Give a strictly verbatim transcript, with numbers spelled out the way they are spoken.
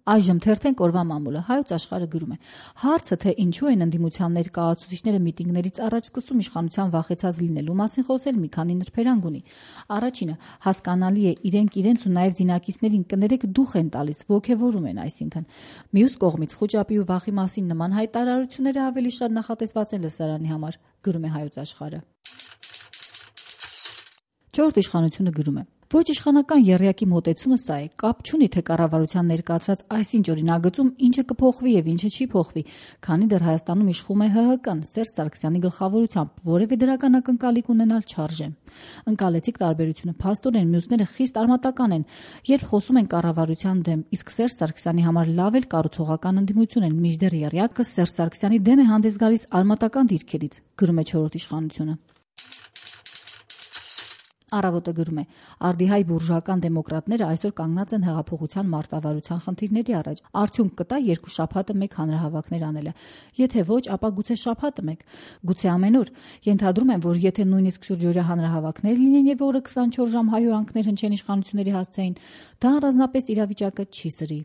Այժմ թերթենք օրվա մամուլը։ Հայոց աշխարհը գրում է. հարցը, թե ինչու են ընդդիմության ներկայացուցիչները միտինգներից առաջ սկսում իշխանության վախեցած լինելու մասին խոսել, մի քանի նրբերանգ ունի։ Առաջինը, հասկանալի է, իրենք իրենց ու նաև զինակիցներին կներեք դուխ են տալիս, ոգևորում են, այսինքն։ Մյուս կողմից խոճապի ու վախի մասին նման հայտարարությունները ավելի շատ նախատեսված են լսարանի համար, գրում է Հայոց աշխարհը։ Չորրորդ իշխանությունը գրում է. ոչ իշխանական եռյակի մոտեցումը սա է, կապ չունի, թե կառավարության ներկայացած այսինչ օրինագծում ինչը կփոխվի եւ ինչը չի փոխվի, քանի դեռ Հայաստանում իշխում է ՀՀԿ-ն, Սերժ Սարգսյանի գլխավորությամբ, որևէ դրական ակնկալիք ունենալ չարժե։ Ընկալեցիք տարբերությունը, փաստորեն մյուսները խիստ արմատական են, երբ խոսում են կառավարության դեմ, իսկ Սերժ Սարգսյանի համար լավ էլ կառուցողական ընդդիմություն են, մինչդեռ եռյակը Սերժ Սարգսյանի դեմ է հանդես գալիս արմատական դիրքերից, գրում է չորրորդ իշխանությունը։ Առավոտը գրում է. արդիհայ բուրժուական դեմոկրատները այսօր կանգնած են հեղափոխության մարտավարության խնդիրների առաջ։ Արդյունք կտա երկու շաբաթը մեկ հանրահավաքներ անելը։ Եթե ոչ, ապա գուցե շաբաթը մեկ, գուցե ամեն օր։ Ենթադրում եմ, որ եթե նույնիսկ շուրջօրյա հանրահավաքներ լինեն եւ օրը քսանչորս ժամ հայհոյանքներ հնչեն իշխանությունների հասցեին, դա առանձնապես իրավիճակը չի սրի։